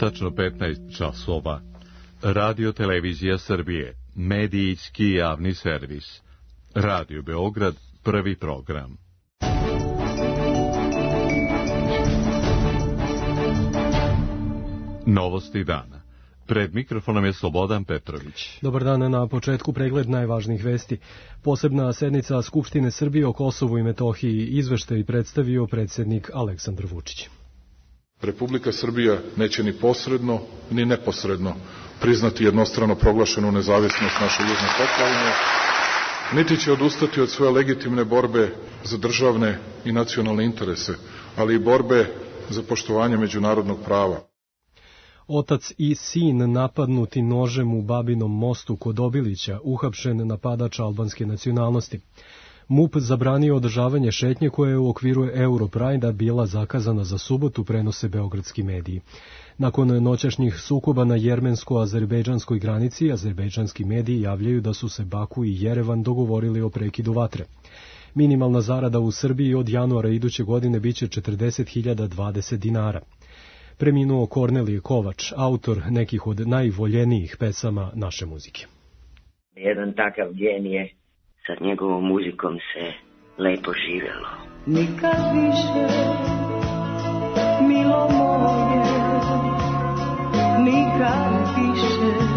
Tačno 15 časova. Radio Televizija Srbije, medijski javni servis. Radio Beograd, prvi program. Novosti dana. Pred mikrofonom je Slobodan Petrović. Dobar dan, na početku pregled najvažnijih vesti. Posebna sednica Skupštine Srbije o Kosovu i Metohiji, izveštaj predstavio predsjednik Aleksandar Vučić. Republika Srbija neće ni posredno, ni neposredno priznati jednostrano proglašenu nezavisnost naše južne pokrajine, niti će odustati od svoje legitimne borbe za državne i nacionalne interese, ali i borbe za poštovanje međunarodnog prava. Otac i sin napadnuti nožem u Babinom mostu kod Obilića, uhapšen napadač albanske nacionalnosti. MUP zabranio održavanje šetnje koja je u okviru Europride-a bila zakazana za subotu, prenose beogradski mediji. Nakon noćašnjih sukoba na jermensko-azerbejdžanskoj granici, azerbejdžanski mediji javljaju da su se Baku i Jerevan dogovorili o prekidu vatre. Minimalna zarada u Srbiji od januara iduće godine biće 40.020 dinara. Preminuo Kornelije Kovač, autor nekih od najvoljenijih pesama naše muzike. Jedan takav genije, sa njegovom muzikom se lepo živjelo. Nikad više, milo moje, nikad više.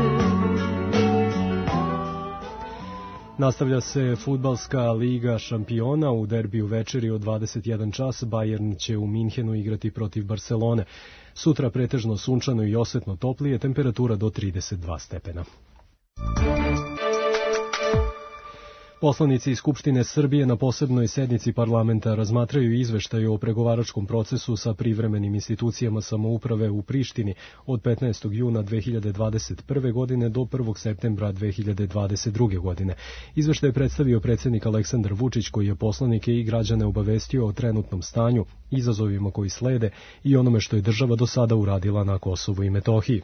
Nastavlja se fudbalska liga šampiona. U derbiju večeri od 21 čas Bayern će u Minhenu igrati protiv Barcelone. Sutra pretežno sunčano i osvetno toplije, temperatura do 32 stepena. Poslanici iz Skupštine Srbije na posebnoj sednici parlamenta razmatraju izveštaj o pregovaračkom procesu sa privremenim institucijama samouprave u Prištini od 15. juna 2021. godine do 1. septembra 2022. godine. Izveštaj je predstavio predsjednik Aleksandar Vučić, koji je poslanike i građane obavestio o trenutnom stanju, izazovima koji slede i onome što je država do sada uradila na Kosovu i Metohiji.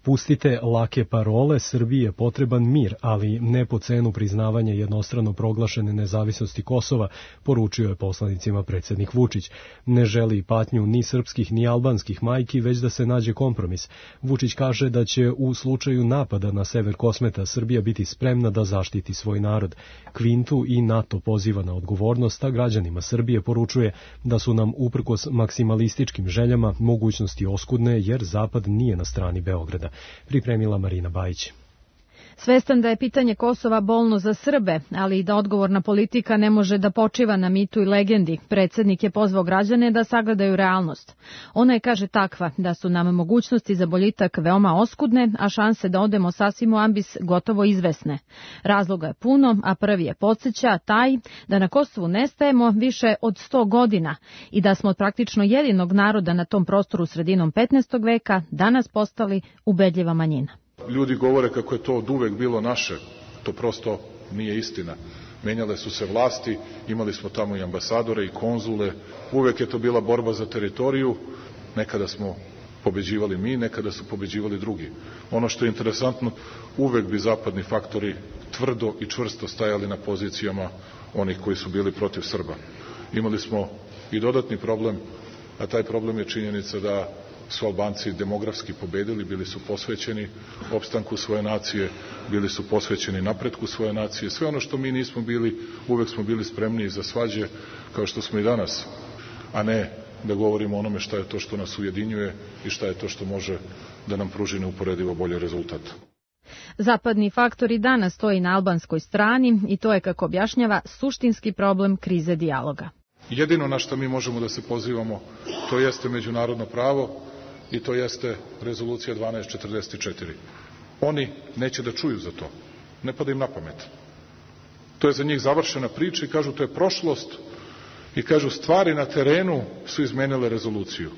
Pustite lake parole, Srbiji je potreban mir, ali ne po cenu priznavanja jednostrano proglašene nezavisnosti Kosova, poručio je poslanicima predsjednik Vučić. Ne želi patnju ni srpskih ni albanskih majki, već da se nađe kompromis. Vučić kaže da će u slučaju napada na sever Kosmeta Srbija biti spremna da zaštiti svoj narod. Kvintu i NATO poziva na odgovornost, a građanima Srbije poručuje da su nam uprkos maksimalističkim željama mogućnosti oskudne, jer Zapad nije na strani Beograda. Pripremila Marina Bajić. Svestan da je pitanje Kosova bolno za Srbe, ali i da odgovorna politika ne može da počiva na mitu i legendi, predsjednik je pozvao građane da sagledaju realnost. Ona je, kaže, takva da su nam mogućnosti za boljitak veoma oskudne, a šanse da odemo sasvim u ambis gotovo izvesne. Razloga je puno, a prvi je podsjeća taj da na Kosovu nestajemo više od 100 godina i da smo od praktično jedinog naroda na tom prostoru sredinom 15. veka danas postali ubedljiva manjina. Ljudi govore kako je to od uvek bilo naše. To prosto nije istina. Menjale su se vlasti, imali smo tamo i ambasadore i konzule. Uvek je to bila borba za teritoriju. Nekada smo pobeđivali mi, nekada su pobeđivali drugi. Ono što je interesantno, uvek bi zapadni faktori tvrdo i čvrsto stajali na pozicijama onih koji su bili protiv Srba. Imali smo i dodatni problem, a taj problem je činjenica da su Albanci demografski pobedili, bili su posvećeni opstanku svoje nacije, bili su posvećeni napretku svoje nacije. Sve ono što mi nismo bili, uvek smo bili spremni za svađe, kao što smo i danas, a ne da govorimo o onome šta je to što nas ujedinjuje i šta je to što može da nam pruži neuporedivo bolji rezultat. Zapadni faktor i danas stoji na albanskoj strani i to je, kako objašnjava, suštinski problem krize dijaloga. Jedino na što mi možemo da se pozivamo, to jeste međunarodno pravo i to jeste rezolucija 1244. Oni neće da čuju za to. Ne pada im na pamet. To je za njih završena priča i kažu to je prošlost i kažu stvari na terenu su izmenile rezoluciju.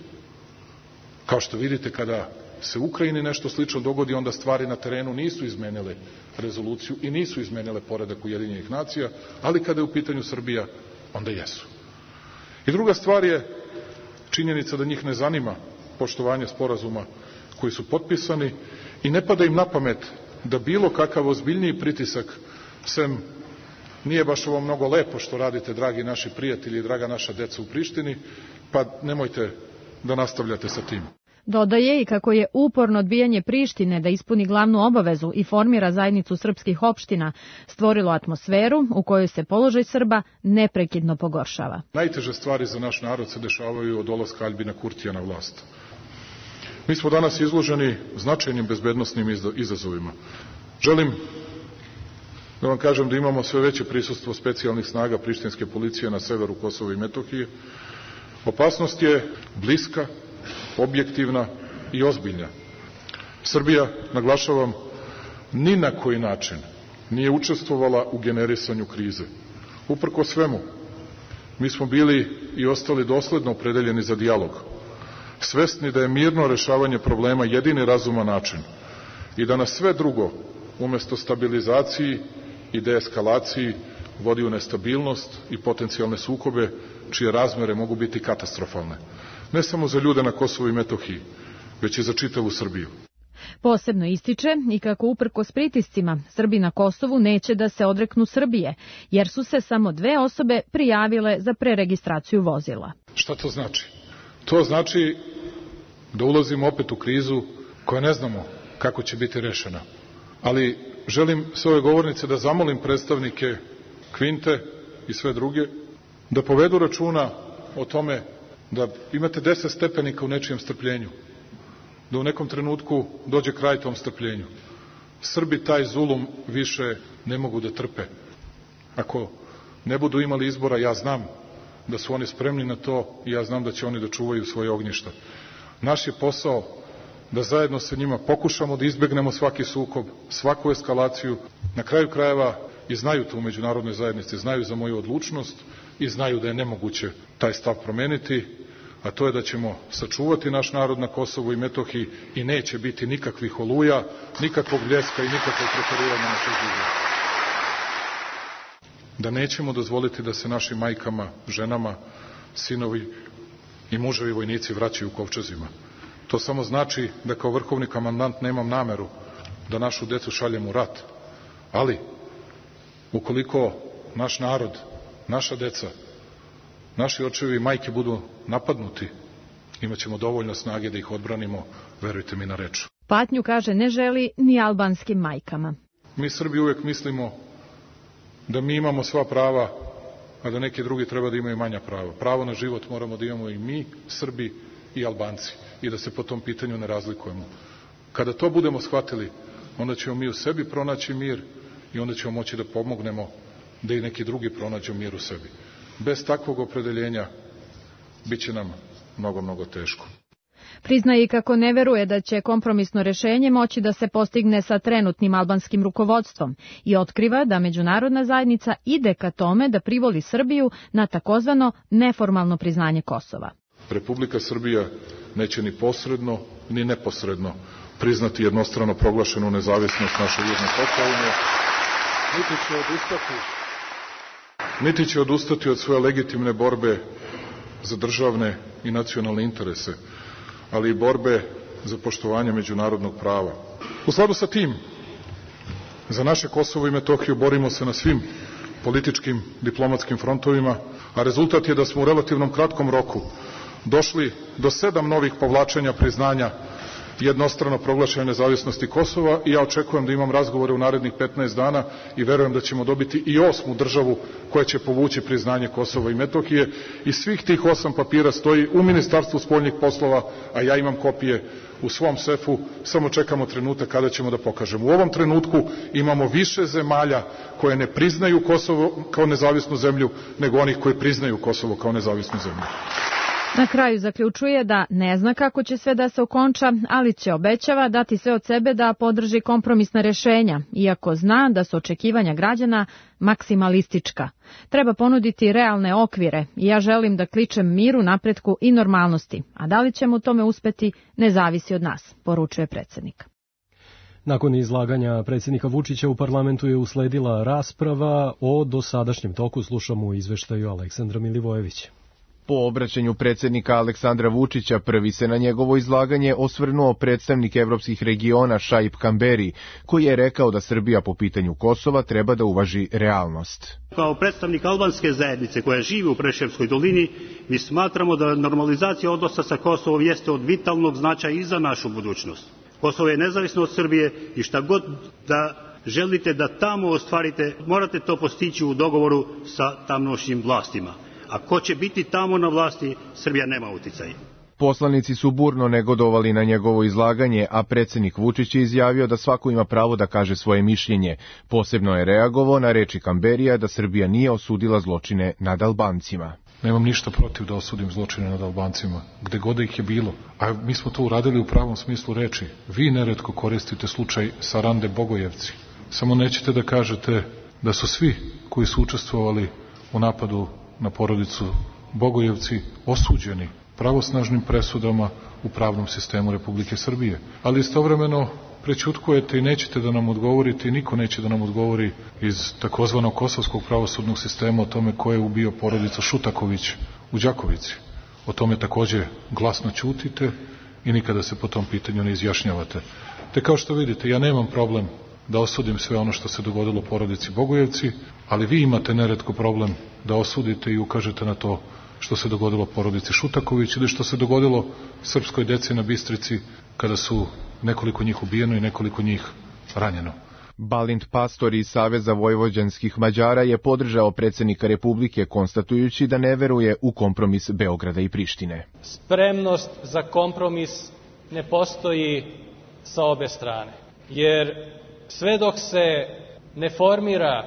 Kao što vidite, kada se u Ukrajini nešto slično dogodi, onda stvari na terenu nisu izmenile rezoluciju i nisu izmenile poredak Ujedinjenih nacija, ali kada je u pitanju Srbija, onda jesu. I druga stvar je činjenica da njih ne zanima poštovanje sporazuma koji su potpisani i ne pada im na pamet da bilo kakav ozbiljniji pritisak, sem nije baš ovo mnogo lepo što radite, dragi naši prijatelji i draga naša deca u Prištini, pa nemojte da nastavljate sa tim. Dodaje i kako je uporno odbijanje Prištine da ispuni glavnu obavezu i formira zajednicu srpskih opština stvorilo atmosferu u kojoj se položaj Srba neprekidno pogoršava. Najteže stvari za naš narod se dešavaju od dolaska Aljbina Kurtija na vlast. Mi smo danas izloženi značajnim bezbednosnim izazovima. Želim da vam kažem da imamo sve veće prisustvo specijalnih snaga prištinske policije na severu Kosova i Metohije. Opasnost je bliska, objektivna i ozbiljna. Srbija, naglašavam, ni na koji način nije učestvovala u generisanju krize. Uprko svemu, mi smo bili i ostali dosledno opredeljeni za dijalog, svesni da je mirno rešavanje problema jedini razuman način i da nas sve drugo, umesto stabilizaciji i deeskalaciji, vodi u nestabilnost i potencijalne sukobe, čije razmere mogu biti katastrofalne. Ne samo za ljude na Kosovu i Metohiji, već i za čitavu Srbiju. Posebno ističe i kako uprkos pritiscima Srbi na Kosovu neće da se odreknu Srbije, jer su se samo 2 osobe prijavile za preregistraciju vozila. Šta to znači? To znači da ulazimo opet u krizu koja ne znamo kako će biti rešena. Ali želim s ove govornice da zamolim predstavnike Kvinte i sve druge da povedu računa o tome da imate 10 stepenika u nečijem strpljenju, da u nekom trenutku dođe kraj tom strpljenju. Srbi taj zulum više ne mogu da trpe. Ako ne budu imali izbora, ja znam da su oni spremni na to i ja znam da će oni da čuvaju svoje ognjišta. Naš je posao da zajedno sa njima pokušamo da izbegnemo svaki sukob, svaku eskalaciju. Na kraju krajeva i znaju to u međunarodnoj zajednici, znaju za moju odlučnost i znaju da je nemoguće taj stav promeniti, a to je da ćemo sačuvati naš narod na Kosovu i Metohiji i neće biti nikakvih oluja, nikakvog bljeska i nikakvog preterivanja na tuđi. Da nećemo dozvoliti da se našim majkama, ženama, sinovi i muževi vojnici vraćaju u kovčezima. To samo znači da kao vrhovni komandant nemam nameru da našu decu šaljem u rat. Ali, ukoliko naš narod, naša deca, naši očevi i majke budu napadnuti, imaćemo dovoljno snage da ih odbranimo, verujte mi na reč. Patnju, kaže, ne želi ni albanskim majkama. Mi Srbi uvek mislimo da mi imamo sva prava, a da neki drugi treba da imaju manja prava. Pravo na život moramo da imamo i mi, Srbi i Albanci, i da se po tom pitanju ne razlikujemo. Kada to budemo shvatili, onda ćemo mi u sebi pronaći mir i onda ćemo moći da pomognemo da i neki drugi pronađu mir u sebi. Bez takvog opredeljenja bit će nam mnogo, mnogo teško. Priznaje i kako ne veruje da će kompromisno rešenje moći da se postigne sa trenutnim albanskim rukovodstvom i otkriva da međunarodna zajednica ide ka tome da privoli Srbiju na takozvano neformalno priznanje Kosova. Republika Srbija neće ni posredno, ni neposredno priznati jednostrano proglašenu nezavisnost naše južne pokrajine, niti će odustati od svoje legitimne borbe za državne i nacionalne interese, ali i borbe za poštovanje međunarodnog prava. U skladu sa tim, za naše Kosovo i Metohiju borimo se na svim političkim, diplomatskim frontovima, a rezultat je da smo u relativnom kratkom roku došli do 7 novih povlačenja priznanja jednostrano proglašene nezavisnosti Kosova i ja očekujem da imam razgovore u narednih 15 dana i verujem da ćemo dobiti i 8. državu koja će povući priznanje Kosova i Metohije i svih tih 8 papira stoji u Ministarstvu spoljnih poslova, a ja imam kopije u svom sefu, samo čekamo trenutak kada ćemo da pokažemo. U ovom trenutku imamo više zemalja koje ne priznaju Kosovo kao nezavisnu zemlju nego onih koji priznaju Kosovo kao nezavisnu zemlju. Na kraju zaključuje da ne zna kako će sve da se okonča, ali će, obećava, dati sve od sebe da podrži kompromisna rešenja, iako zna da su očekivanja građana maksimalistička. Treba ponuditi realne okvire i ja želim da kličem miru, napretku i normalnosti, a da li ćemo u tome uspeti ne zavisi od nas, poručuje predsjednik. Nakon izlaganja predsjednika Vučića u parlamentu je usledila rasprava o dosadašnjem toku, slušamo u izveštaju Aleksandra Milivojevića. Po obraćanju predsjednika Aleksandra Vučića prvi se na njegovo izlaganje osvrnuo predstavnik evropskih regiona Šaip Kamberi, koji je rekao da Srbija po pitanju Kosova treba da uvaži realnost. Kao predstavnik albanske zajednice koja živi u Preševskoj dolini, mi smatramo da normalizacija odnosa sa Kosovom jeste od vitalnog značaja i za našu budućnost. Kosovo je nezavisno od Srbije i šta god da želite da tamo ostvarite, morate to postići u dogovoru sa tamošnjim vlastima. A ko će biti tamo na vlasti, Srbija nema uticaj. Poslanici su burno negodovali na njegovo izlaganje, a predsjednik Vučić je izjavio da svako ima pravo da kaže svoje mišljenje. Posebno je reagovao na reči Kamberija da Srbija nije osudila zločine nad Albancima. Nemam ništa protiv da osudim zločine nad Albancima, gde god ih je bilo. A mi smo to uradili u pravom smislu reči. Vi neretko koristite slučaj Sarande Bogojevci. Samo nećete da kažete da su svi koji su učestvovali u napadu na porodicu Bogojevci osuđeni pravosnažnim presudama u pravnom sistemu Republike Srbije. Ali istovremeno prećutkujete i nećete da nam odgovorite i niko neće da nam odgovori iz takozvanog kosovskog pravosudnog sistema o tome ko je ubio porodicu Šutaković u Đakovici. O tome takođe glasno ćutite i nikada se po tom pitanju ne izjašnjavate. Te kao što vidite, ja nemam problem da osudim sve ono što se dogodilo porodici Bogojevci, ali vi imate neretko problem da osudite i ukažete na to što se dogodilo porodici Šutaković ili što se dogodilo srpskoj deci na Bistrici kada su nekoliko njih ubijeno i nekoliko njih ranjeno. Balint Pastor iz Saveza vojvođanskih Mađara je podržao predsjednika Republike konstatujući da ne veruje u kompromis Beograda i Prištine. Spremnost za kompromis ne postoji sa obe strane, jer sve dok se ne formira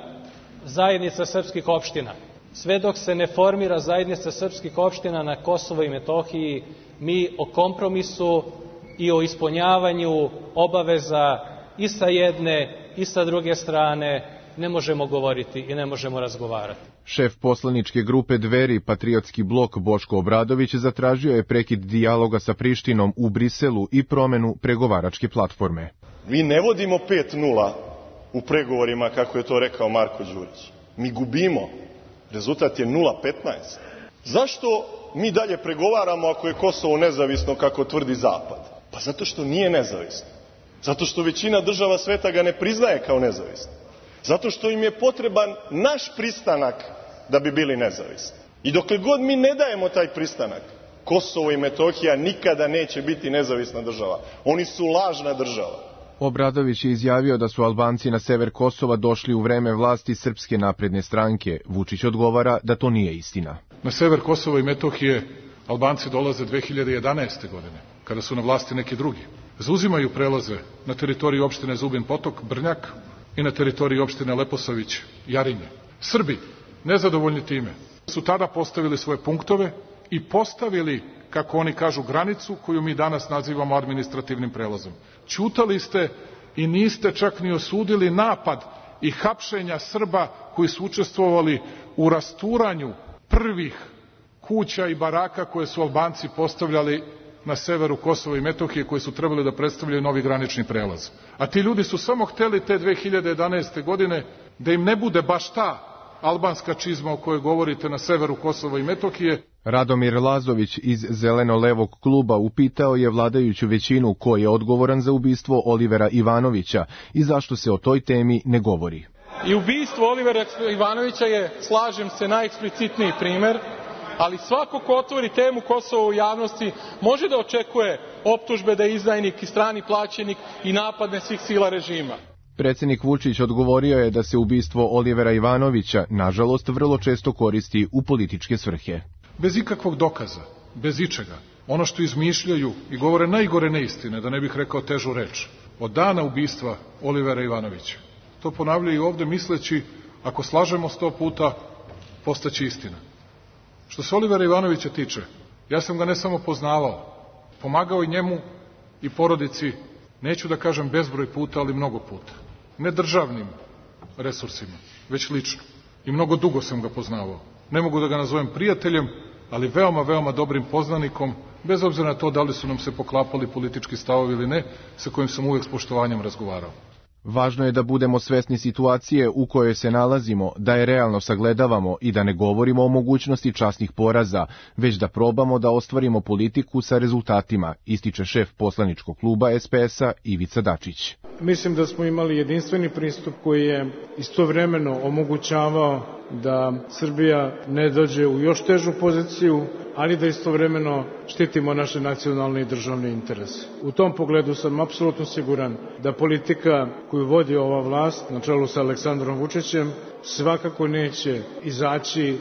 zajednica srpskih opština, sve dok se ne formira zajednica srpskih opština na Kosovo i Metohiji, mi o kompromisu i o ispunjavanju obaveza i sa jedne i sa druge strane ne možemo govoriti i ne možemo razgovarati. Šef poslaničke grupe Dveri, Patriotski blok Boško Obradović zatražio je prekid dijaloga sa Prištinom u Briselu i promenu pregovaračke platforme. Mi ne vodimo 5-0 u pregovorima, kako je to rekao Marko Đurić. Mi gubimo. Rezultat je 0-15. Zašto mi dalje pregovaramo ako je Kosovo nezavisno, kako tvrdi Zapad? Pa zato što nije nezavisno. Zato što većina država sveta ga ne priznaje kao nezavisno. Zato što im je potreban naš pristanak da bi bili nezavisni. I dokle god mi ne dajemo taj pristanak, Kosovo i Metohija nikada neće biti nezavisna država. Oni su lažna država. Obradović je izjavio da su Albanci na sever Kosova došli u vreme vlasti Srpske napredne stranke. Vučić odgovara da to nije istina. Na sever Kosova i Metohije Albanci dolaze 2011. godine, kada su na vlasti neki drugi. Zauzimaju prelaze na teritoriji opštine Zubin Potok, Brnjak i na teritoriji opštine Leposavić, Jarinje. Srbi, nezadovoljni time, su tada postavili svoje punktove i postavili, kako oni kažu, granicu koju mi danas nazivamo administrativnim prelazom. Ćutali ste i niste čak ni osudili napad i hapšenja Srba koji su učestvovali u rasturanju prvih kuća i baraka koje su Albanci postavljali na severu Kosova i Metohije, koji su trebali da predstavljaju novi granični prelaz. A ti ljudi su samo hteli te 2011. godine da im ne bude baš ta albanska čizma o kojoj govorite na severu Kosova i Metohije. Radomir Lazović iz Zeleno-levog kluba upitao je vladajuću većinu ko je odgovoran za ubistvo Olivera Ivanovića i zašto se o toj temi ne govori. I ubistvo Olivera Ivanovića je, slažem se, najeksplicitniji primer, ali svako ko otvori temu Kosova u javnosti može da očekuje optužbe da je izdajnik i strani plaćenik i napadne svih sila režima. Predsjednik Vučić odgovorio je da se ubistvo Olivera Ivanovića, nažalost, vrlo često koristi u političke svrhe. Bez ikakvog dokaza, bez ičega, ono što izmišljaju i govore najgore neistine, da ne bih rekao težu reč, od dana ubistva Olivera Ivanovića. To ponavljaju ovde misleći, ako slažemo 100 puta, postaće istina. Što se Olivera Ivanovića tiče, ja sam ga ne samo poznavao, pomagao i njemu i porodici, neću da kažem bezbroj puta, ali mnogo puta. Ne državnim resursima, već lično. I mnogo dugo sam ga poznavao. Ne mogu da ga nazovem prijateljem, ali veoma, veoma dobrim poznanikom, bez obzira na to da li su nam se poklapali politički stavovi ili ne, sa kojim sam uvek s poštovanjem razgovarao. Važno je da budemo svesni situacije u kojoj se nalazimo, da je realno sagledavamo i da ne govorimo o mogućnosti časnih poraza, već da probamo da ostvarimo politiku sa rezultatima, ističe šef poslaničkog kluba SPS-a Ivica Dačić. Mislim da smo imali jedinstveni pristup koji je istovremeno omogućavao da Srbija ne dođe u još težu poziciju, ali da istovremeno štitimo naše nacionalne i državne interese. U tom pogledu sam apsolutno siguran da politika koju vodi ova vlast na čelu sa Aleksandrom Vučićem svakako neće izaći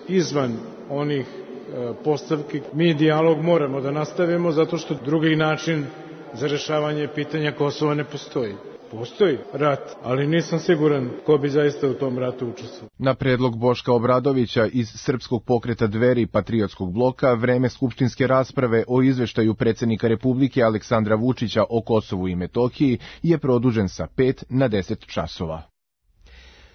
izvan onih postavki. Mi dijalog moramo da nastavimo zato što drugi način za rešavanje pitanja Kosova ne postoji. Postoji rat, ali nisam siguran ko bi zaista u tom ratu učestvovao. Na predlog Boška Obradovića iz Srpskog pokreta Dveri i Patriotskog bloka, vreme skupštinske rasprave o izveštaju predsjednika Republike Aleksandra Vučića o Kosovu i Metohiji je produžen sa 5 na 10 časova.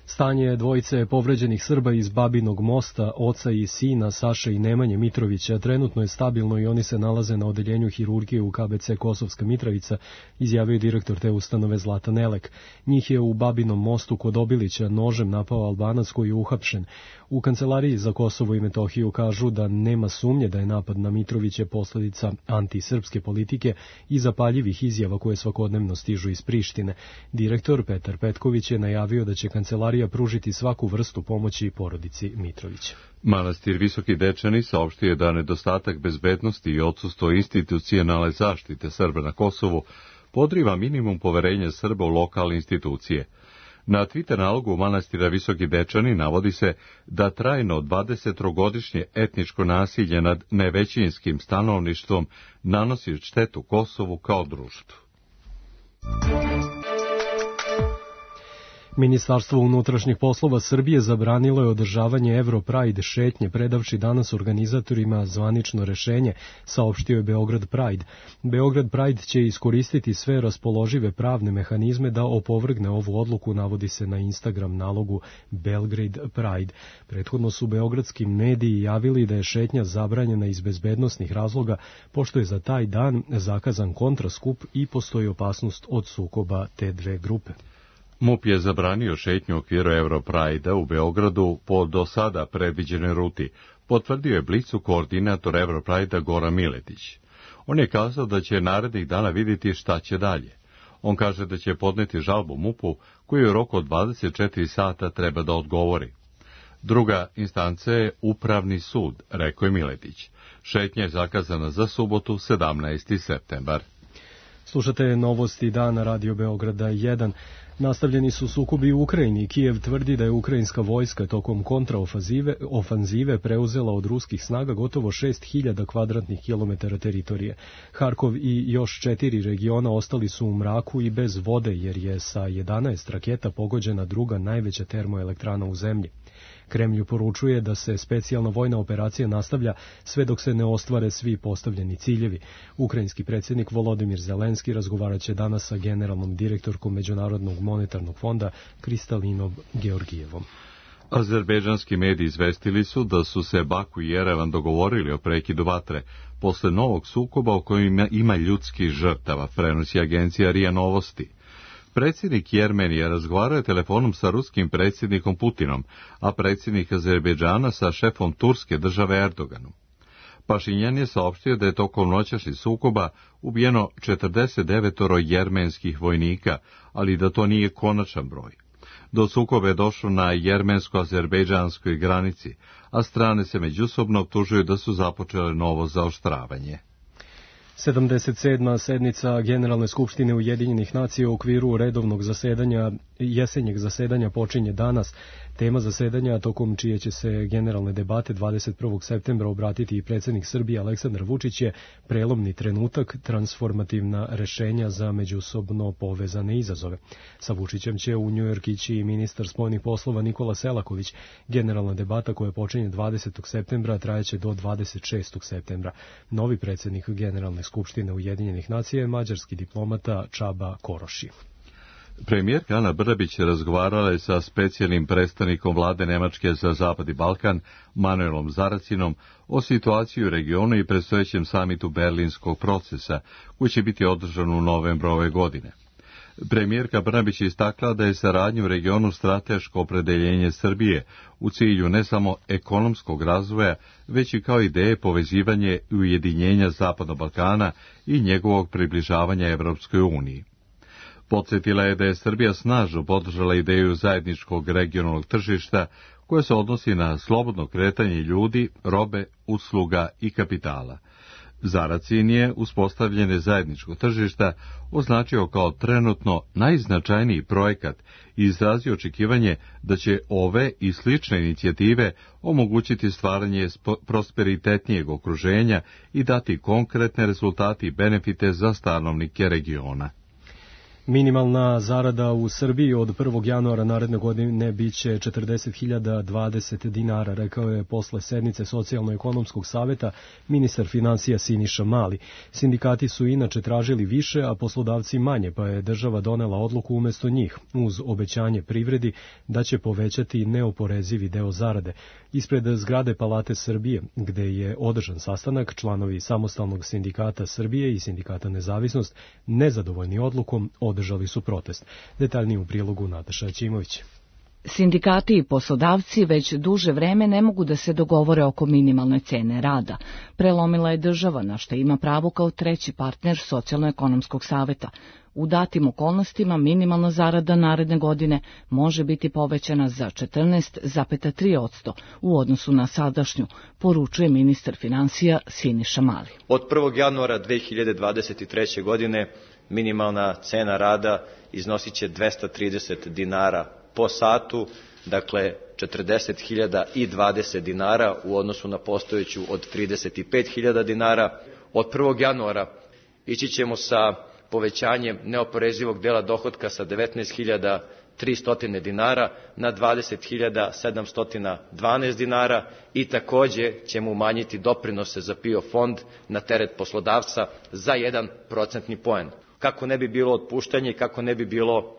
Stanje dvojice povređenih Srba iz Babinog Mosta, oca i sina Saše i Nemanje Mitrovića, trenutno je stabilno i oni se nalaze na odeljenju hirurgije u KBC Kosovska Mitrovica, izjavio direktor te ustanove Zlatan Elek. Njih je u Babinom Mostu kod Obilića nožem napao Albanac koji je uhapšen. U Kancelariji za Kosovo i Metohiju kažu da nema sumnje da je napad na Mitroviće posledica antisrpske politike i zapaljivih izjava koje svakodnevno stižu iz Prištine. Direktor Petar Petković je najavio da će Kancelarija pružiti svaku vrstu pomoći porodici Mitrovića. Manastir Visoki Dečani saopštio je da nedostatak bezbednosti i odsustvo institucionalne zaštite Srba na Kosovu podriva minimum poverenja Srba u lokalne institucije. Na Twitter nalogu manastira Visoki Dečani navodi se da trajno 20-godišnje etničko nasilje nad nevećinskim stanovništvom nanosi štetu Kosovu kao društvu. Ministarstvo unutrašnjih poslova Srbije zabranilo je održavanje Europride šetnje, predavši danas organizatorima zvanično rešenje, saopštio je Beograd Pride. Beograd Pride će iskoristiti sve raspoložive pravne mehanizme da opovrgne ovu odluku, navodi se na Instagram nalogu Belgrade Pride. Prethodno su beogradski mediji javili da je šetnja zabranjena iz bezbednosnih razloga, pošto je za taj dan zakazan kontraskup i postoji opasnost od sukoba te dve grupe. MUP je zabranio šetnju u okviru Europride-a u Beogradu po do sada predviđenoj ruti, potvrdio je Blicu koordinator Europride-a Goran Miletić. On je kazao da će narednih dana vidjeti šta će dalje. On kaže da će podneti žalbu MUP-u koju u roku od 24 sata treba da odgovori. Druga instanca je Upravni sud, rekao je Miletić. Šetnja je zakazana za subotu 17. septembar. Slušate novosti dana Radio Beograda 1. Nastavljeni su sukobi u Ukrajini. Kijev tvrdi da je ukrajinska vojska tokom kontraofanzive preuzela od ruskih snaga gotovo 6000 kvadratnih kilometara teritorije. Harkov i još 4 regiona ostali su u mraku i bez vode, jer je sa 11 raketa pogođena druga najveća termoelektrana u zemlji. Kremlju poručuje da se specijalna vojna operacija nastavlja sve dok se ne ostvare svi postavljeni ciljevi. Ukrajinski predsjednik Volodimir Zelenski razgovaraće danas sa generalnom direktorkom Međunarodnog monetarnog fonda Kristalinom Georgijevom. Azerbejdžanski mediji izvestili su da su se Baku i Jerevan dogovorili o prekidu vatre posle novog sukoba u kojem ima ljudskih žrtava, prenosi agencija RIA Novosti. Predsjednik Jermenije razgovarao je telefonom sa ruskim predsjednikom Putinom, a predsjednik Azerbejdžana sa šefom turske države Erdoganom. Pašinjan je saopštio da je tokom noćašnjih sukoba ubijeno 49 jermenskih vojnika, ali da to nije konačan broj. Do sukoba je došlo na jermensko-azerbejdžanskoj granici, a strane se međusobno optužuju da su započele novo zaoštravanje. 77. sednica Generalne skupštine Ujedinjenih nacija u okviru redovnog jesenjeg zasedanja počinje danas. Tema zasedanja, tokom čije će se generalne debate 21. septembra obratiti i predsjednik Srbije Aleksandar Vučić, je prelomni trenutak, transformativna rešenja za međusobno povezane izazove. Sa Vučićem će u Njujork ići i ministar spoljnih poslova Nikola Selaković. Generalna debata koja počinje 20. septembra trajeće do 26. septembra. Novi predsjednik Generalne skupštine Ujedinjenih nacija je mađarski diplomata Čaba Koroši. Premijerka Ana Brnabić razgovarala je sa specijalnim predstavnikom vlade Nemačke za Zapad i Balkan, Manuelom Zaracinom, o situaciji u regionu i predstojećem samitu Berlinskog procesa, koji će biti održan u novembru ove godine. Premijerka Brnabić je istakla da je saradnja u regionu strateško opredeljenje Srbije u cilju ne samo ekonomskog razvoja, već i kao ideje povezivanje i ujedinjenja Zapadnog Balkana i njegovog približavanja Evropskoj uniji. Podsjetila je da je Srbija snažno podržala ideju zajedničkog regionalnog tržišta koje se odnosi na slobodno kretanje ljudi, robe, usluga i kapitala. Zarad cilj je uspostavljene zajedničkog tržišta označio kao trenutno najznačajniji projekat i izrazio očekivanje da će ove i slične inicijative omogućiti stvaranje prosperitetnijeg okruženja i dati konkretne rezultate i benefite za stanovnike regiona. Minimalna zarada u Srbiji od 1. januara naredne godine biće 40.020 dinara, rekao je posle sednice Socijalno-ekonomskog saveta ministar finansija Siniša Mali. Sindikati su inače tražili više, a poslodavci manje, pa je država donela odluku umesto njih, uz obećanje privredi da će povećati neoporezivi deo zarade. Ispred zgrade Palate Srbije, gde je održan sastanak, članovi Samostalnog sindikata Srbije i Sindikata Nezavisnost, nezadovoljni odlukom, održali su protest. Detaljnije u prilogu Nataša Ćimović. Sindikati i poslodavci već duže vreme ne mogu da se dogovore oko minimalne cene rada. Prelomila je država, na što ima pravo kao treći partner Socijalno-ekonomskog saveta. U datim okolnostima minimalna zarada naredne godine može biti povećana za 14,3% u odnosu na sadašnju, poručuje ministar finansija Siniša Mali. Od 1. januara 2023. godine minimalna cena rada iznosit će 230 dinara po satu, dakle 40.020 dinara u odnosu na postojeću od 35.000 dinara. Od 1. januara ići ćemo sa povećanjem neoporezivog dela dohotka sa 19.300 dinara na 20.712 dinara i takođe ćemo umanjiti doprinose za PIO fond na teret poslodavca za 1 procentni poen. Kako ne bi bilo otpuštanja i kako ne bi bilo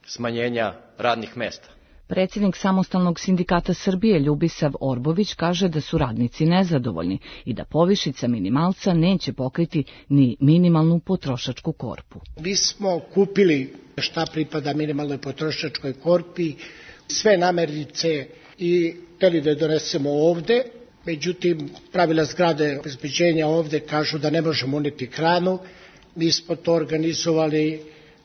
smanjenja radnih mesta. Predsjednik Samostalnog sindikata Srbije Ljubisav Orbović kaže da su radnici nezadovoljni i da povišica minimalca neće pokriti ni minimalnu potrošačku korpu. Mi smo kupili šta pripada minimalnoj potrošačkoj korpi, sve namernice i hteli da je donesemo ovde, međutim pravila zgrade obezbeđenja ovde kažu da ne možemo uneti hranu. Mi smo to organizovali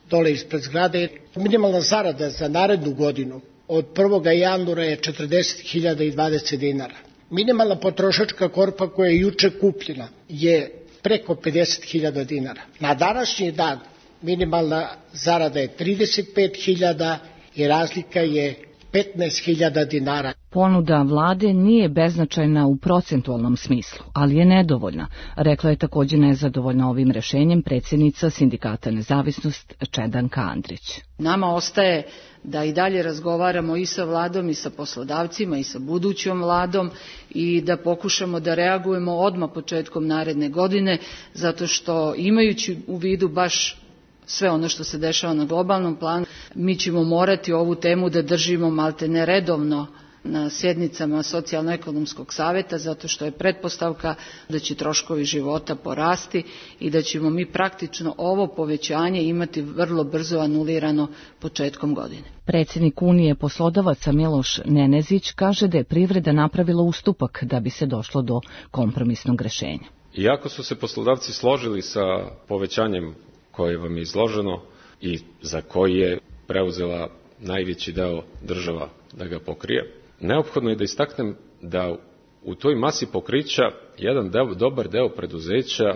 dole ispred zgrade. Minimalna zarada za narednu godinu od 1. januara je 40.020 dinara. Minimalna potrošačka korpa koja je juče kupljena je preko 50.000 dinara. Na današnji dan minimalna zarada je 35.000 i razlika je 15.000 dinara. Ponuda vlade nije beznačajna u procentualnom smislu, ali je nedovoljna, rekla je također nezadovoljna ovim rešenjem predsjednica Sindikata Nezavisnost Čedanka Andrić. Nama ostaje da i dalje razgovaramo i sa vladom i sa poslodavcima i sa budućom vladom i da pokušamo da reagujemo odmah početkom naredne godine, zato što imajući u vidu baš sve ono što se dešava na globalnom planu, mi ćemo morati ovu temu da držimo maltene redovno na sjednicama Socijalno-ekonomskog saveta, zato što je pretpostavka da će troškovi života porasti i da ćemo mi praktično ovo povećanje imati vrlo brzo anulirano početkom godine. Predsjednik Unije poslodavaca Miloš Nenezić kaže da je privreda napravila ustupak da bi se došlo do kompromisnog rešenja. Iako su se poslodavci složili sa povećanjem koje vam je izloženo i za koji je preuzela najveći deo država da ga pokrije, neophodno je da istaknem da u toj masi pokrića jedan dobar deo preduzeća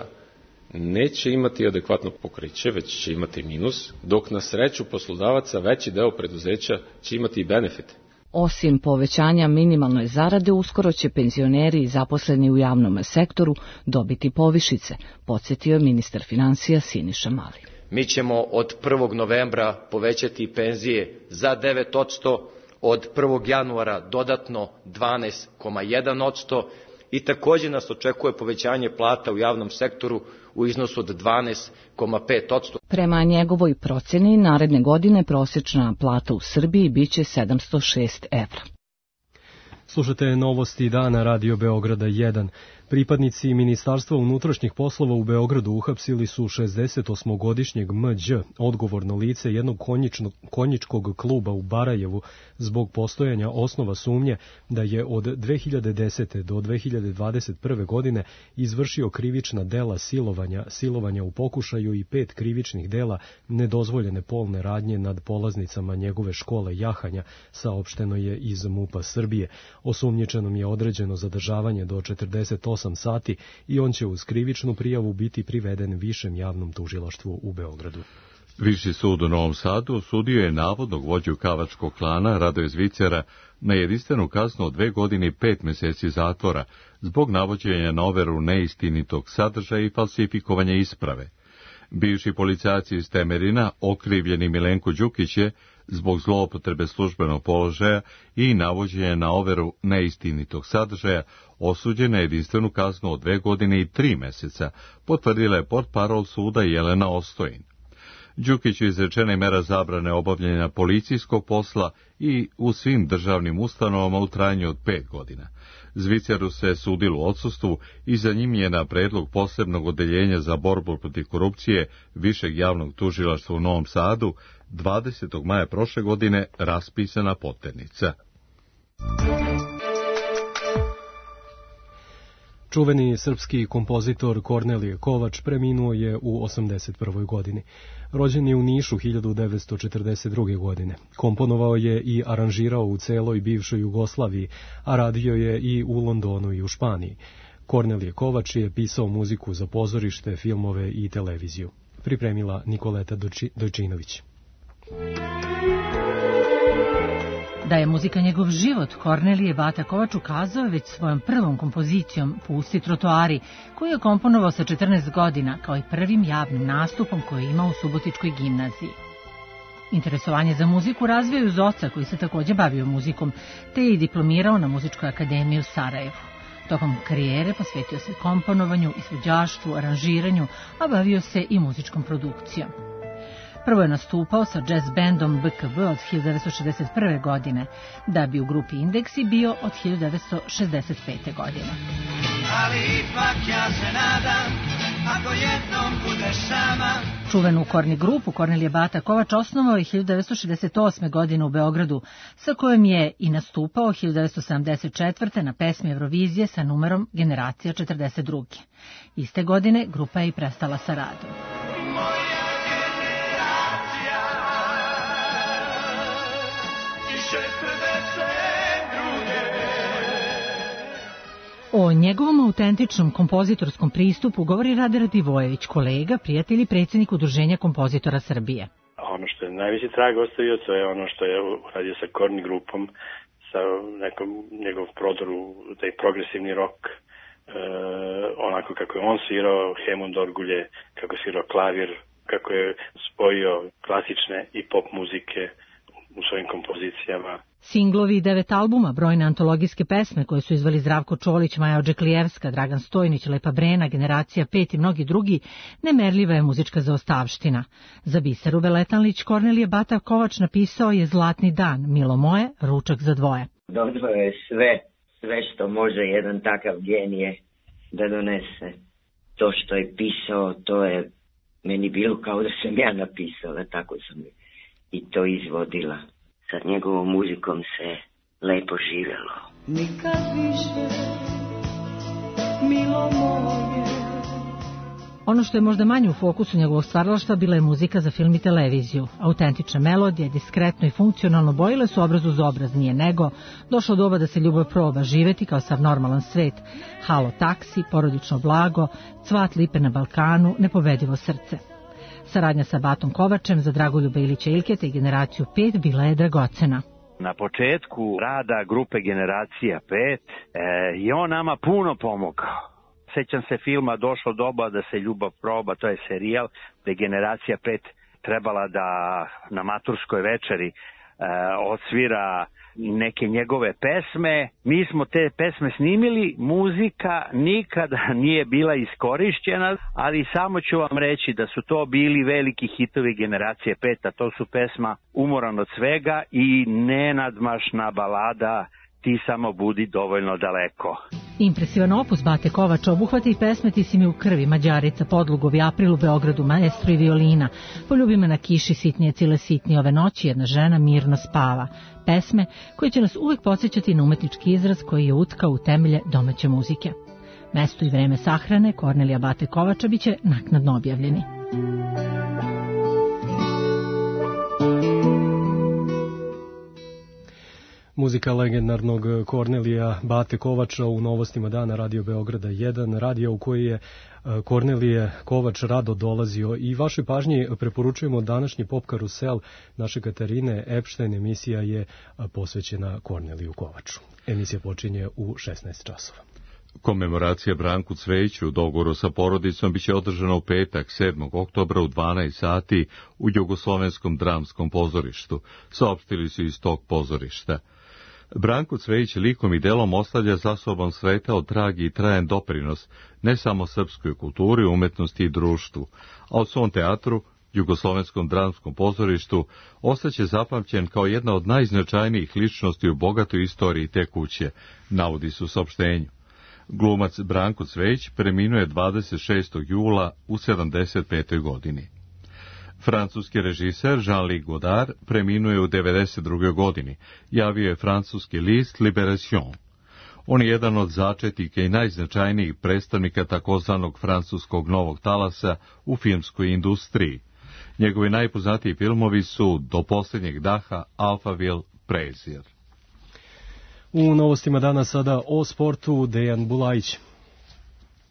neće imati adekvatno pokriće, već će imati minus, dok na sreću poslodavaca veći deo preduzeća će imati i benefite. Osim povećanja minimalne zarade, uskoro će penzioneri i zaposleni u javnom sektoru dobiti povišice, podsjetio je ministar finansija Siniša Mali. Mi ćemo od 1. novembra povećati penzije za 9%, od 1. januara dodatno 12,1% i također nas očekuje povećanje plata u javnom sektoru u iznosu od 12,5%. Prema njegovoj procjeni, naredne godine prosječna plata u Srbiji biće 706 evra. Slušate novosti dana Radio Beograda 1. Pripadnici Ministarstva unutrašnjih poslova u Beogradu uhapsili su 68-godišnjeg MĐ, odgovorno lice jednog konjičkog kluba u Barajevu, zbog postojanja osnova sumnje da je od 2010. do 2021. godine izvršio krivična dela silovanja u pokušaju i 5 krivičnih dela nedozvoljene polne radnje nad polaznicama njegove škole jahanja, saopšteno je iz MUP-a Srbije. Osumnjičenom je određeno zadržavanje do 48 sati i on će uz krivičnu prijavu biti priveden Višem javnom tužilaštvu u Beogradu. Viši sud u Novom Sadu osudio je navodnog vođu kavačkog klana Radoje Zvicera na jedinstvenu kaznu od 2 godine i 5 meseci zatvora zbog navođenja na overu neistinitog sadržaja i falsifikovanja isprave. Bivši policajac iz Temerina, okrivljeni Milenko Đukić je, zbog zloupotrebe službenog položaja i navođenja na overu neistinitog sadržaja, osuđen na jedinstvenu kaznu od 2 godine i 3 meseca, potvrdila je portparol suda Jelena Ostojin. Đukiću izrečena je mera zabrane obavljanja policijskog posla i u svim državnim ustanovama u trajanju od 5 godina. Zviceru se sudilo u odsustvu i za njim je na predlog posebnog odeljenja za borbu protiv korupcije Višeg javnog tužilaštva u Novom Sadu 20. maja prošle godine raspisana poternica. Čuveni srpski kompozitor Kornelije Kovač preminuo je u 81. godini. Rođen je u Nišu 1942. godine. Komponovao je i aranžirao u celoj bivšoj Jugoslaviji, a radio je i u Londonu i u Španiji. Kornelije Kovač je pisao muziku za pozorište, filmove i televiziju. Pripremila Nikoleta Dojčinović. Da je muzika njegov život, Kornelije Bata Kovač ukazao već svojom prvom kompozicijom Pusti trotoari, koju je komponovao sa 14 godina, kao i prvim javnim nastupom koji je imao u Subotičkoj gimnaziji. Interesovanje za muziku razvio je uz oca, koji se takođe bavio muzikom, te je i diplomirao na Muzičkoj akademiji u Sarajevu. Tokom karijere posvetio se komponovanju, izvođaštvu, aranžiranju, a bavio se i muzičkom produkcijom. Prvo je nastupao sa jazz bandom BKB od 1961. godine, da bi u grupi Indeksi bio od 1965. godine. Ali ipak ja se nadam, ako jednom budeš sama. Čuvenu korni grupu Kornelije Bata Kovač osnovao je 1968. godine u Beogradu, sa kojom je i nastupao 1974. na pesmi Eurovizije sa numerom Generacija 42. Iste godine grupa je i prestala sa radom. O njegovom autentičnom kompozitorskom pristupu govori Rade Radivojević, kolega, prijatelj i predsjednik Udruženja kompozitora Srbije. Ono što je najveći trag ostavio, to je ono što je uradio sa korni grupom, sa nekom njegov prodoru, taj progresivni rock, onako kako je on svirao Hemund Orgulje, kako je svirao klavir, kako je spojio klasične i pop muzike u svojim kompozicijama. Singlovi i 9 albuma, brojne antologijske pesme koje su izveli Zdravko Čolić, Maja Odžeklijevska, Dragan Stojnić, Lepa Brena, Generacija 5 i mnogi drugi, nemerljiva je muzička zaostavština. Za Biseru Veletanlić Kornelije Bata Kovač napisao je Zlatni dan, Milo moje, Ručak za dvoje. Dobro je sve što može jedan takav genije da donese. To što je pisao, to je meni bilo kao da sam ja napisala, tako sam i to izvodila. Sa njegovom muzikom se lepo živjelo. Nikad više, milo moje. Ono što je možda manje u fokusu njegovog stvaralaštva bila je muzika za film i televiziju. Autentične melodije, diskretno i funkcionalno bojile su obraz uz obraz, nije nego. Došlo doba da se ljubav proba živeti kao sav normalan svet. Halo taksi, porodično blago, Cvat lipe na Balkanu, Nepobedivo srce. Saradnja sa Batom Kovačem za Dragoljuba Ilića Ilketa i Generaciju 5 bila je dragocena. Na početku rada grupe Generacija 5 je on nama puno pomogao. Sećam se filma Došlo doba da se ljubav proba, to je serijal gde Generacija 5 trebala da na maturskoj večeri odsvira neke njegove pesme. Mi smo te pesme snimili, muzika nikada nije bila iskorišćena, ali samo ću vam reći da su to bili veliki hitovi Generacije 5, a to su pesma Umoran od svega i nenadmašna balada ti samo budi dovoljno daleko. Impresivan opus Bate Kovača obuhvata i pesme Ti si mi u krvi, Mađarica, Podlugovi, April u Beogradu, Maestro i violina, Poljubi me na kiši, Sitnije cile sitnije, Ove noći jedna žena mirno spava. Pesme koje će nas uvek podsjećati na umetnički izraz koji je utkao u temelje domaće muzike. Mesto i vreme sahrane Kornelija Bate Kovača biće naknadno objavljeni. Muzika legendarnog Kornelija Bate Kovača u novostima dana Radio Beograda 1, radio u koji je Kornelije Kovač rado dolazio i vašoj pažnji preporučujemo današnji pop karusel naše Katarine Epštajn. Emisija je posvećena Korneliju Kovaču. Emisija počinje u 16 časova. Komemoracija Branku Cvejiću u dogovoru sa porodicom biće održana u petak 7. oktobra u 12 sati u Jugoslovenskom dramskom pozorištu, saopštili su iz tog pozorišta. Branko Cvejić likom i delom ostavlja za sobom svetao trag i trajan doprinos ne samo srpskoj kulturi, umetnosti i društvu, a u svom teatru, Jugoslovenskom dramskom pozorištu, ostaće zapamćen kao jedna od najznačajnijih ličnosti u bogatoj istoriji te kuće, navodi se u saopštenju. Glumac Branko Cvejić preminuje 26. jula u 75. godini. Francuski režiser Jean-Luc Godard preminuje u 92. godini, javio je francuski list Libération. On je jedan od začetnika i najznačajnijih predstavnika takozvanog francuskog novog talasa u filmskoj industriji. Njegovi najpoznatiji filmovi su Do posljednjeg daha, Alphaville, Prezir. U novostima dana sada o sportu Dejan Bulajić.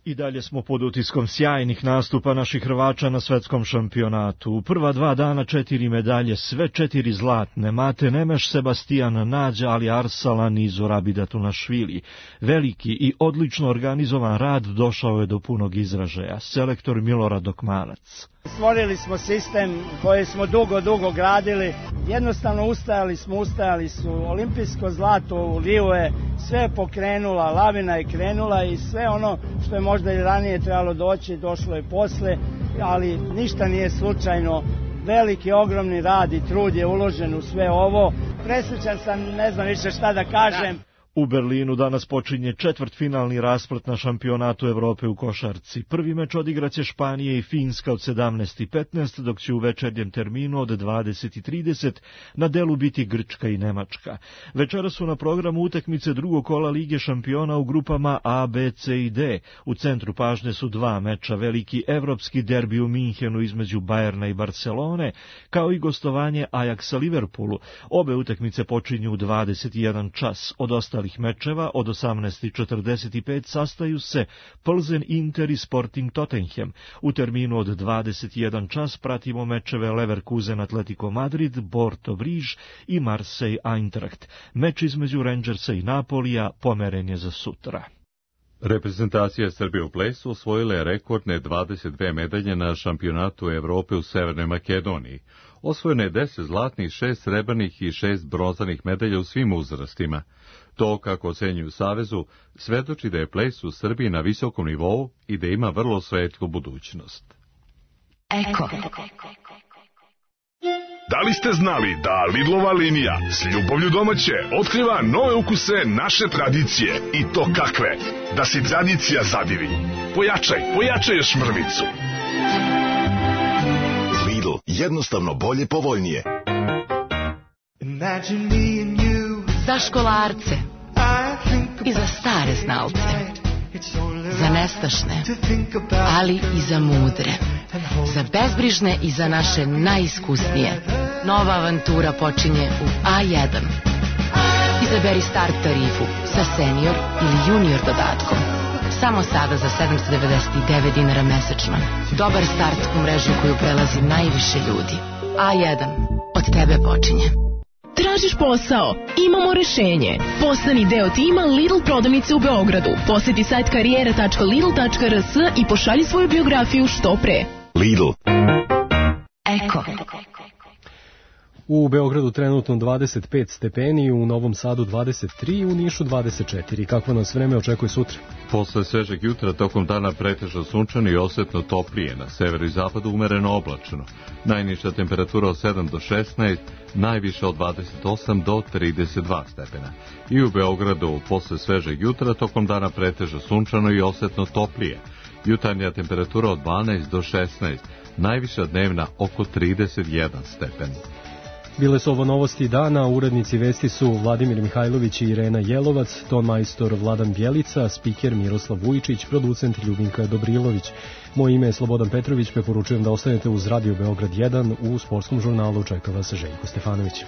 I dalje smo pod utiskom sjajnih nastupa naših Hrvača na svetskom šampionatu. U prva 2 dana 4 medalje, sve 4 zlatne. Mate Nemeš, Sebastian Nađa, Ali Arsalan i Zorabida Tunašvili. Veliki i odlično organizovan rad došao je do punog izražaja. Selektor Milorad Dokmanac. Stvorili smo sistem koji smo dugo gradili. Jednostavno ustajali su. Olimpijsko zlato u Riju je sve pokrenula, lavina je krenula i sve ono što je možda i ranije trebalo doći, došlo je posle, ali ništa nije slučajno. Veliki, ogromni rad i trud je uložen u sve ovo. Presrećan sam, ne znam više šta da kažem. U Berlinu danas počinje četvrtfinalni rasplet na šampionatu Evrope u košarci. Prvi meč odigraće Španija i Finska od 17:15, dok će u večernjem terminu od 20:30 na delu biti Grčka i Nemačka. Večera su na programu utakmice drugog kola Lige šampiona u grupama A, B, C i D. U centru pažnje su 2 meča, veliki evropski derbi u Minhenu između Bajerna i Barcelone, kao i gostovanje Ajaksa Liverpoolu. Obe utakmice počinju u 21 čas. Od ostalih mečeva od 18:45 sastaju se Plzen, Inter i Sporting Tottenham. U terminu od 21 čas pratimo mečeve Leverkusen, Atletico Madrid, Porto Briž i Marseille Eintracht. Meč između Rangersa i Napolija pomeren je za sutra. Reprezentacija Srbije u plesu osvojila je rekordne 22 medalje na šampionatu Evrope u Severnoj Makedoniji. Osvojeno je 10 zlatnih, 6 srebrnih i 6 bronzanih medalja u svim uzrastima. To, kako ocenjuju u Savezu, svedoči da je ples u Srbiji na visokom nivou i da ima vrlo svetlu budućnost. Eko. Da li ste znali da Lidlova linija s ljubavlju domaće otkriva nove ukuse naše tradicije i to kakve? Da si tradicija zadivi. Pojačaj još mrvicu. Lidl, jednostavno bolje, povoljnije. Za školarce i za stare znalce, za nestašne, ali i za mudre, za bezbrižne i za naše najiskusnije. Nova avantura počinje u A1. Izaberi start tarifu sa senior ili junior dodatkom. Samo sada za 799 dinara mesečno. Dobar start u mrežu koju prelazi najviše ljudi. A1. Od tebe počinje. Tražiš posao? Imamo rešenje. Postani deo tima Lidl prodavnice u Beogradu. Poseti sajt karijera.lidl.rs i pošalji svoju biografiju što pre. Lidl. Eko. U Beogradu trenutno 25 stepeni, u Novom Sadu 23, u Nišu 24. Kakvo nas vreme očekuje sutra? Posle svežeg jutra tokom dana pretežno sunčano i osetno toplije, na severu i zapadu umereno oblačno. Najniža temperatura od 7 do 16, najviša od 28 do 32 stepena. I u Beogradu posle svežeg jutra tokom dana pretežno sunčano i osetno toplije. Jutarnja temperatura od 12 do 16, najviša dnevna oko 31 stepen. Bile su ovo novosti dana, urednici vesti su Vladimir Mihajlović i Irena Jelovac, ton majstor Vladan Bjelica, spiker Miroslav Vujčić, producent Ljubinka Dobrilović. Moje ime je Slobodan Petrović, preporučujem da ostanete uz Radio Beograd 1, u sportskom žurnalu čeka vas Željko Stefanović.